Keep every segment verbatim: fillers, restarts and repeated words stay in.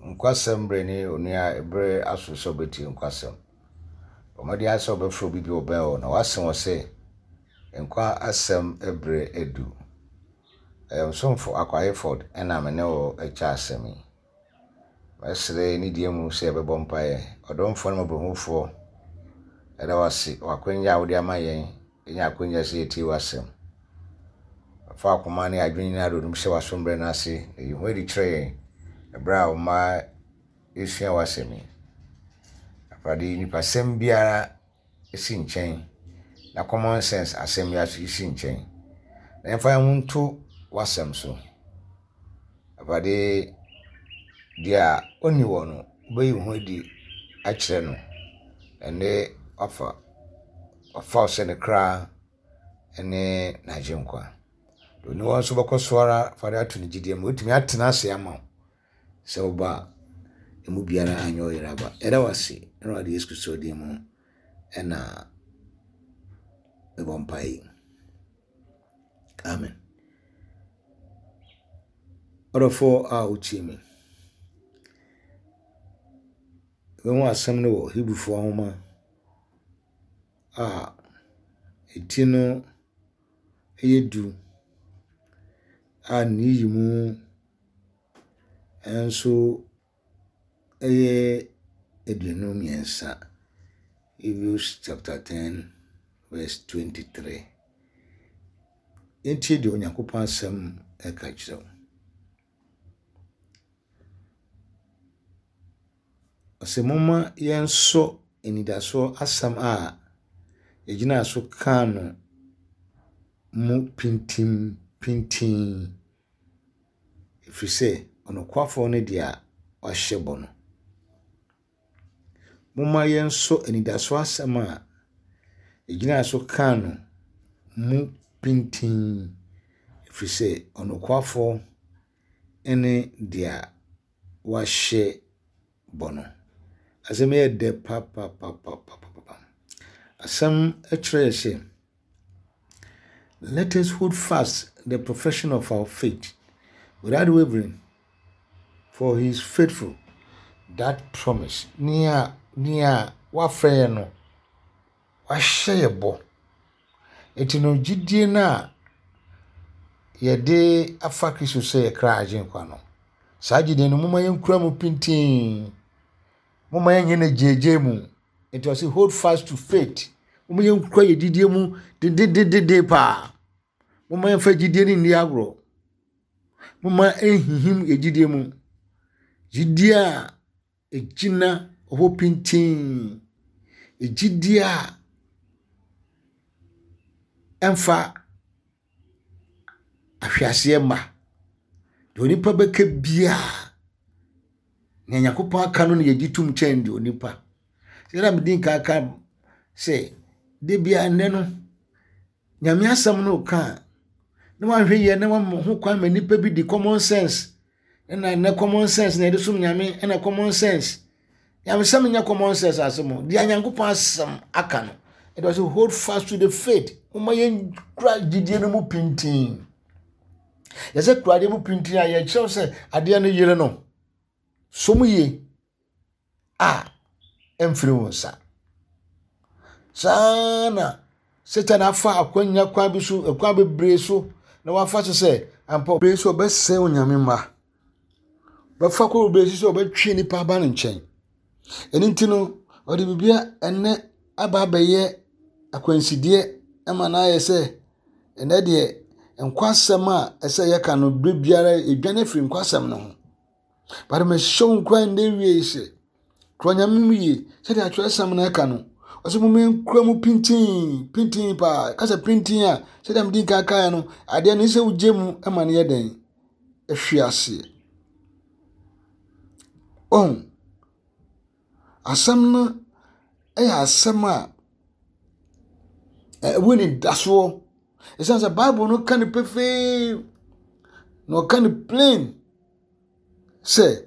Nkwasɛm bere ne onua bere aso sɛ wobɛtie nkwasɛm. Bɔ mmɔden ara sɛ wobɛfrɛ obi bi a ɔbɛn wo na woase wɔ sɛ nkwa asɛm bere adu. Ɛyɛ wo somfo Akwa Hayford ɛna me ne wo kyɛ asɛm yi. Mɛsrɛ ne die mu sɛ yɛbɛbɔ mpaeɛ. Ɔdomfoɔ ne mmɔborɔhunufoɔ, ɛda wo ase wɔ akwanya a wode ama yɛn ɛnya akwanya sɛ yɛtie w'asɛm. Fa akoma ne adwene nyinaa de hyɛ w'asombrɛ no ase na yi ho adi kyerɛ yɛn ɛberɛ a wo mma esua w'asɛm yi. Awurade nipasɛm biara si nkyɛn na common sense asɛm biara nso si nkyɛn. Na yɛmfa yɛn ho nto w'asɛm so. Awurade deɛ a ɔnni wɔ no, wobɛyi wo ho adi akyerɛ no. Ɛne wafa wafa wo sɛ ne kra ne n'agyenkwa. Deɛ ɔni hɔ nso bɛkɔ so ara fa de ato ne gyidie mu. Wotumi atena ase ama wo sɛ woba a emu biara anyɛ ɔyere aba. Yɛda wo ase Awurade Yesu Kristo din mu ɛna mebɔ mpaeɛ yi. Amen. Ɔdɔfoɔ a wotie me. Yɛbɛhu asɛm no wɔ Hebrifoɔ nwoma a eti no yɛ du a ne yi mu nso yɛ aduonu mmiɛnsa. Hebrews chapter ten verse twenty-three. Yɛntie deɛ Onyankopɔn asɛm ɛka kyerɛ wo. Ɔsɛ momma yɛnsɔ anidasoɔ asɛm a yɛgyina so kaa no mu pintim pintinn. Ɛfiri sɛ ɔnokwafoɔ no deɛ wahyɛ bɔ no. Momma yɛnsɔ anidasoɔ asɛm a yɛgyina so kaa no mu pintinn. Ɛfiri sɛ ɔnokwafoɔ ne deɛ wahyɛ bɔ no. Asɛm yi yɛ dɛ papapapapapa. Asɛm kyerɛ sɛ, let us hold fast the profession of our faith without wavering, for he is faithful that promise. Nea nea wafrɛ yɛn no, wahyɛ yɛ bɔ. Enti no gyidie no a yɛde afa Kristo sɛ yɛ kra agyenkwa no, saa gyidie no momma yɛnkura mu pintinn. Momma yɛnyɛ no gyegye mu. Nti ɔse hold fast to faith. Momma yɛnkura yɛ gyidie mu dedededede paa. Momma yɛmfa gyidie no nni agorɔ. Momma ɛnhinhim yɛ gyidie mu. Gyidie a ɛgyina hɔ pintinn. Gyidie a ɛmfa ahweaseɛ mma. Deɛ onipa bɛka biara, nea Nyankopɔn aka no na yɛgye tom kyɛn deɛ onipa. Sɛ medi nkan ka sɛ, da biara nnɛ no, Nyame asɛm no ka a, na wahwɛ yie na wama ho kwan ma nipa bi di common sense. Ɛna nnɛ common sense na yɛde som Nyame, ɛna common sense. Nyamesɛm nyɛ common sense asɛm o. Deɛ Nyankopɔn asɛm aka no, ɛde ɔsɛ hold fast to the faith. Momma yɛnkura gyidie no mu pintinn. Yɛsɛ kura adeɛ mu pintinn a yɛkyerɛw sɛ adeɛ no yere no, som yie a ɛmfiri wo nsa. Saa na Satan afa akwanya kwan bi so, kwan bebree so na wafa so sɛ ampa bebree so ɔbɛsɛe Onyame mma. Bɛfa kɔ bebree so sɛ ɔbɛtwe nipa aba ne nkyɛn. Ɛno nti no, ɔde biribi a ɛnɛ aba abɛyɛ akwansideɛ ama no ayɛ sɛ ɛnɛ deɛ nkwasɛm a ɛsɛ yɛka no bere biara edwane afiri nkwasɛm no ho. But mehyɛ wo nkuran nnɛ wie sɛ kura Nyame mu yie sɛdeɛ atwerɛsɛm no ɛka no. Ɔsɛ momma yɛnkura mu pintinn pintinn paa. Kasa pintinn a sɛdeɛ mede nkan kaeɛ no, adeɛ no sɛ wogye mu ma no yɛ dɛn ɛhwe aseɛ. Ɔhu asɛm no ɛyɛ asɛm a ɛwɔ nidasoɔ. Ɛsiane sɛ Bible no ka no pefee na ɔka no plain sɛ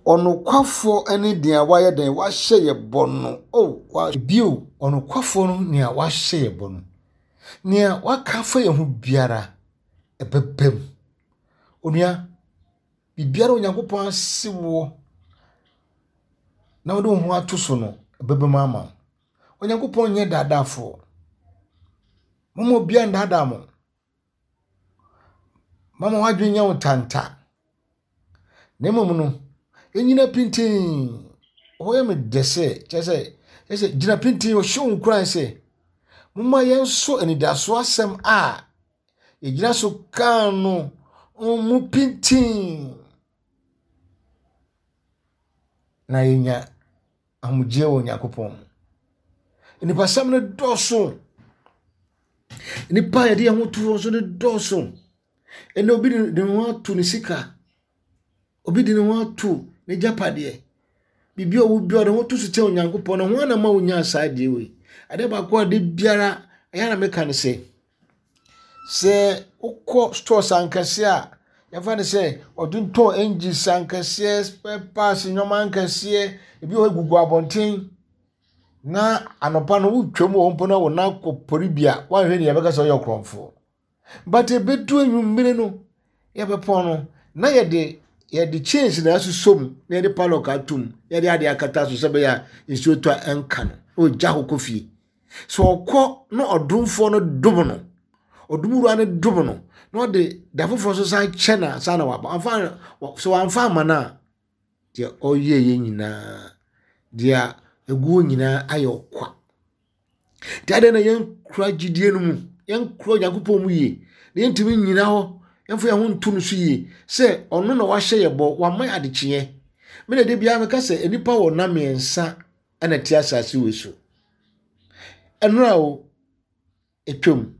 ɔnokwafoɔ ne deɛ wayɛ dɛn wahyɛ yɛ bɔ no. Oh, wa bio ɔnokwafoɔ no nea wahyɛ yɛ bɔ no. Nea waka afa yɛn ho biara ɛbɛba mu. Onua, Biribiara Onyankopɔn ase woɔ na wode wo ho ato so no, ɛbɛba mu ama wo. Onyankopɔn nyɛ daadaafoɔ. Momma obiara nnaadaa mo. Mama w'adwene nyɛ wo tanta. Na mmom no, ɛnyina pintinn. Hɔ yɛ me dɛ sɛ, kyerɛ sɛ, kyerɛ sɛ gyina pintinn, ɔhyɛ wo nkuran sɛ, momma yɛnso anidasoɔ asɛm a yɛgyina so kaa no mu pintinn na yɛnya ahomegyeɛ wɔ Onyankopɔn mu. Nipasɛm no dɔɔso. Nipa a yɛde yɛn ho to wɔn so no dɔɔso. Ɛnna obi de ne ho ato ne sika. Obi de ne ho ato n'agyapadeɛ. Biribi a ɔwɔ biara ɔde ne ho to so kyɛn Onyankopɔn. Na ho ana ma wonya saa adeɛ wei. Adeɛ baako a de biara ɛyɛ na meka no sɛ, sɛ wokɔ stores ankɛseɛ a, yɛmfa no sɛ ɔtontɔn engines ankɛseɛ, spare parts, nneɛma ankɛseɛ, ebi wɔ hɔ gugu abɔnten. Na anɔpa no wotwam wɔ hɔ mpo na wo nan kɔ pɔre bi a, woanhwɛ ni yɛbɛka sɛ ɔyɛ ɔkorɔmfoɔ. But ebedu anwummere no, yɛbɛpɔn no, na yɛde yɛde chains na asosɔ mu na yɛde padlock atom na yɛde adeɛ akata so sɛ bɛyɛ a nsuo tɔ a ɛnka no na ɔgya hɔ kɔ fie. Sɛ ɔkɔ na ɔdomfoɔ no dom no, ɔdomwura no dom no, na ɔde da foforɔ nso san kyɛ no ansa na waba. Amfa sɛ wamfa ama no a, deɛ ɔyɛeɛ nyinaa, deɛ egu hɔ nyinaa ayɛ ɔkwa. Nti adɛn na yɛnkura gyidie no mu, yɛnkura Onyankopɔn mu yie, na yɛntumi nnyina hɔ, yɛmfa yɛn ho nto no so yie sɛ ɔno na wahyɛ yɛ bɔ, wama yɛ adekyeɛ. Me na de biara meka sɛ nnipa wɔ nna mmiɛnsa ɛna ɛte asase wei so. Ɛnora o, etwam,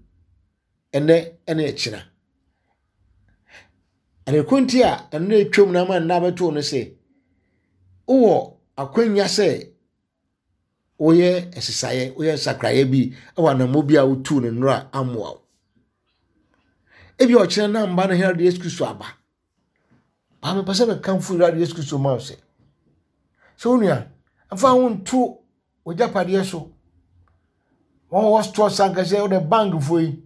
ɛnɛ ɛne ɛkyena. Adeko nti a ɛno etwam na ama nna abɛto no sɛ, wowɔ akwanya sɛ woyɛ nsesaeɛ, woyɛ nsakraeɛ bi wɔ anammɔ bi a wotuu no nnora amoa wo. Ebi a ɔkyerɛ na mba no Awurade Yesu Kristo aba. Baa mepɛ sɛ mekamfo Awurade Yesu Kristo ma wo sɛ, sɛ wo nua, mfa wo nto w'agyapadeɛ so. Wɔn wɔ stores ankasa, wode bankfoɔ yi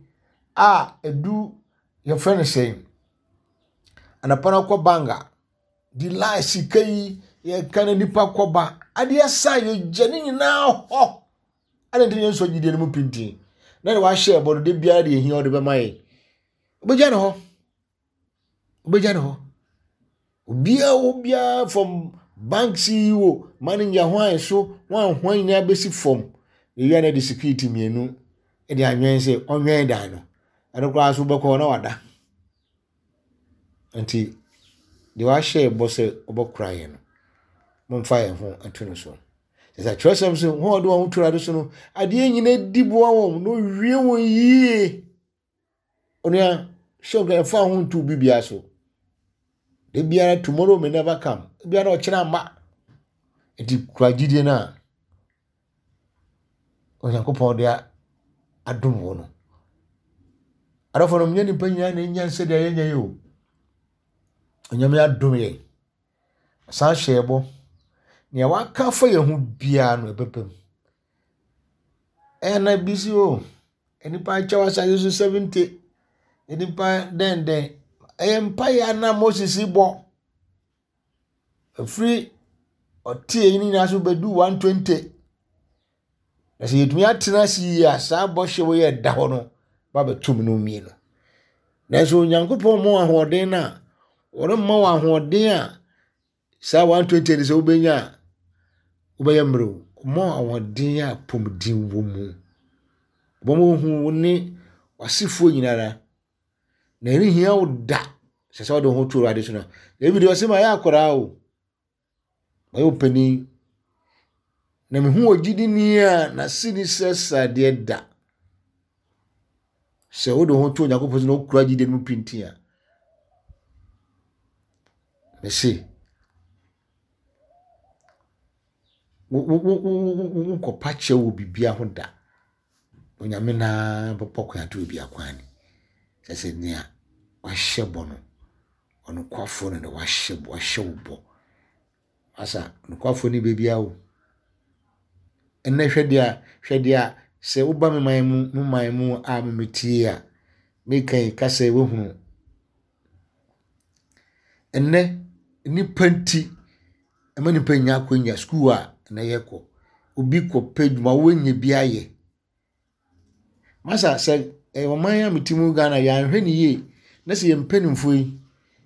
a edu yɛfrɛ no sɛn. Anɔpa no kɔ bank a, di line sika yi yɛka no nipa kɔba. Adeɛ sa yɛgya ne nyinaa hɔ. Adɛn nti na yɛnsɔ gyidie no mu pintinn? Na deɛ wahyɛ ɛbɔ no, de biara deɛ ehia ɔde bɛma yɛn. Wobɛgya ne hɔ. Wobɛgya ne hɔ. Obiara wɔ biara from bank C E O, manager hwan so, hwan hwan nyinaa bɛsi fam. Ewia na de security mmienu de anwɛn sɛ ɔnwɛn dan no. Ɛno koraa so wobɛkɔ na wada. Nti deɛ wahyɛ bɔ sɛ ɔbɛkora yɛn no, momfa yɛn ho nto no so. Sɛ kyerɛsɛm sɛ wɔn a wɔde wɔn ho to Awurade so no, adeɛ nyinaa di boa wɔn na owie wɔn yie. Onua, hyɛ nka ɛfa ho nto biribiara so. Da biara tomorrow may never come. Biara ɔkyerɛ amma. Nti kura gyidie no a Onyankopɔn de adom wo no. Adɔfo no, nyɛ nipa nyinaa na enya sɛdeɛ yɛnyɛ yi o. Onyame adom yɛn. Ɔsan hyɛ yɛn bɔ. Nea waka afa yɛn ho biara no ɛbɛba mu. Ɛyɛ na bi si o. Nipa akyɛw asase so seventy. Nipa dɛndɛn. Ɛyɛ mpaeɛ a na Moses bɔ. Ɛfiri ɔtee yi nyinaa so bɛdu one twenty. Na sɛ yɛtumi atena ase yie a, saa bɔhyɛ wei a ɛda hɔ no ba bɛto mu no mmienu. Nanso Onyankopɔn ma wo ahoɔden no a, ɔremma wo ahoɔden a saa one twenty no sɛ wobɛnya a, wobɛyɛ mmerɛw. Ɔma wo ahoɔden a apɔmuden wɔ mu. Ɔbɛma woahu wo ne w'asefoɔ nyinara. Na ɛrenhia wo da sɛ sɛ wode wo ho to Awurade so no. David ɔse ma yɛ akwaraa o. Mayɛ ɔpanin. Na mehu ogyidini a n'ase ni sɛ sradeɛ da. Sɛ wode wo ho to Onyankopɔn so na wokura gyidie no mu pintinn a, mese wonkɔpa kyɛw wɔ biribiara ho da. Onyame naa bɛbɔ kwan ato obi akwan ni. Sɛ sɛ nea wahyɛ bɔ no, ɔnokwafoɔ no na wahyɛ wahyɛ wo bɔ. Asa nokwafoɔ ni baabiara o. Ɛnnɛ hwɛ deɛ hwɛ deɛ sɛ woba me man mu me man mu a memetie a, meka yi kasa yi woahunu. Ɛnnɛ nnipa nti ɛma nnipa nya akɔnya sukuu a na yɛkɔ. Obi kɔpɛ adwuma woanya bi ayɛ. Masa sɛ ɔman a mete mu Ghana yɛanhwɛ ne yie na sɛ yɛn mpanimfoɔ yi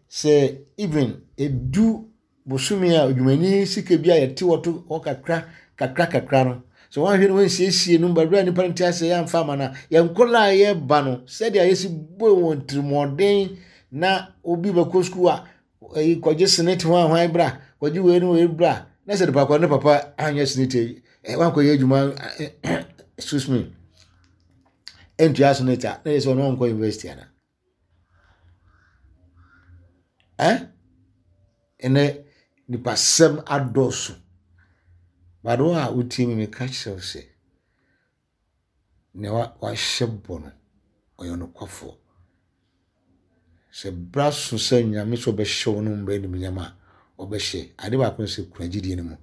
sɛ even edu bosome a odwumani sika bi a yɛte wɔ to hɔ kakra kakra kakra no sɛ wɔanhwɛ no wɔnsiesie no baabi a nnipa no te ase yɛamfa ama no a yɛn nkɔla a yɛba no sɛdeɛ yɛsi bɔ wɔn tirimɔden na obi bɛkɔ sukuu a ɛyi kɔgye SSNIT ho ahwan bra kɔgye wei ne wei bra na sɛ nipa kɔ ne papa anyɛ SSNIT yi ɛ wankɔyɛ adwuma excuse me ɛntua SSNIT a na yɛ sɛ ɔno ɔnkɔ university ana ɛ ɛnɛ nipasɛm adɔɔso bado a wotie mi meka kyerɛ wo sɛ nea wahyɛ bɔ no ɔyɛ nokwafoɔ. Sɛ bra so sɛ Nyame sɛ ɔbɛhyɛ wo no mbrɛ animuonyam a ɔbɛhyɛ. Ade baako ne sɛ kura gyidie no mu.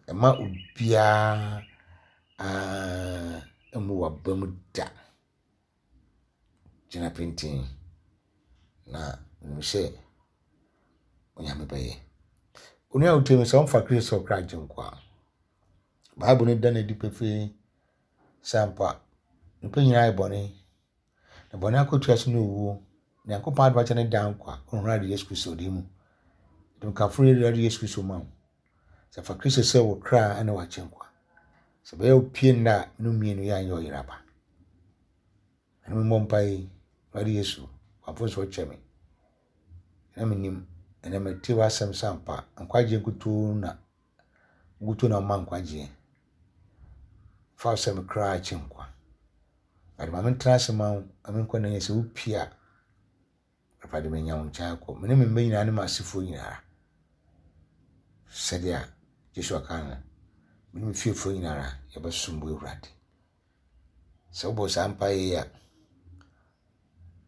Ɛma obiara mmu w'aba mu da. Gyina pintinn na nim sɛ Onyame bɛyɛ. Onua a wotie me sɛ ɔmfa Kristo kra gye nkwa a, Bible no da no adi pefee sɛ ampa nnipa nyinaa ayɛ bɔne. Na bɔne akatua so ne owuo. Nyankopɔn adom akyɛ ne daa nkwa ɔhunu Awurade Yesu Kristo din mu. Nti mekamfo Awurade Yesu Kristo ma wo. Sɛ fa Kristo sɛ wo kra ne w'agye nkwa. Sɛ bɛyɛ wo pie nna a no mmienu yɛ anyɛ ɔyere aba. Ɛno mmɔ mpae Awurade Yesu, wamfo so kyɛ me. Na menim ɛnɛ mete w'asɛm sɛ ampa nkwagyeɛ nkutoo na nkutoo na ɔma nkwagyeɛ. Fa wo sɛ me kra akye nkwa. Awurade ma mentena ase ma wo, ma menkɔ na sɛ wopie a, Awurade menya wo nkyɛn akɔ. Me ne me mma nyinaa ne m'asefoɔ nyinaa. Sɛdeɛ Joshua ka no, me ne me fiefoɔ nyinaa yɛbɛsom wo Awurade. Sɛ wobɔ saa mpaeɛ yi a,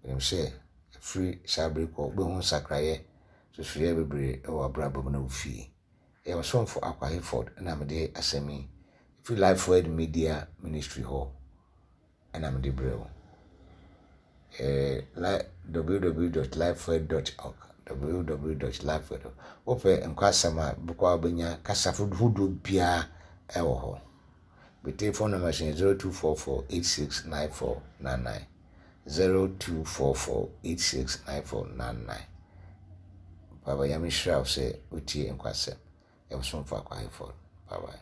menim sɛ ɛfiri saa bere kɔ wobɛhu nsakraeɛ susuiɛ bebree wɔ abrabɔ mu na wo fie. Ɛyɛ ɔsomfo Akwa Hayford na mede asɛm yi ɛfiri Life Word Media Ministry hɔ ɛna mede brɛ wo. Eh, w w w dot lifeword dot org, w w w dot lifeword dot org. Wopɛ nkwasɛm a bɛkɔ a wobɛnya kasa hodoɔ biara ɛwɔ hɔ. Me telephone number is zero two four four eight six nine four nine nine, zero two four four eight six nine four nine nine. Baba Nyame hyira wo sɛ wotie nkwasɛm. Ɛwɔ Akwa Hayford. Bye bye.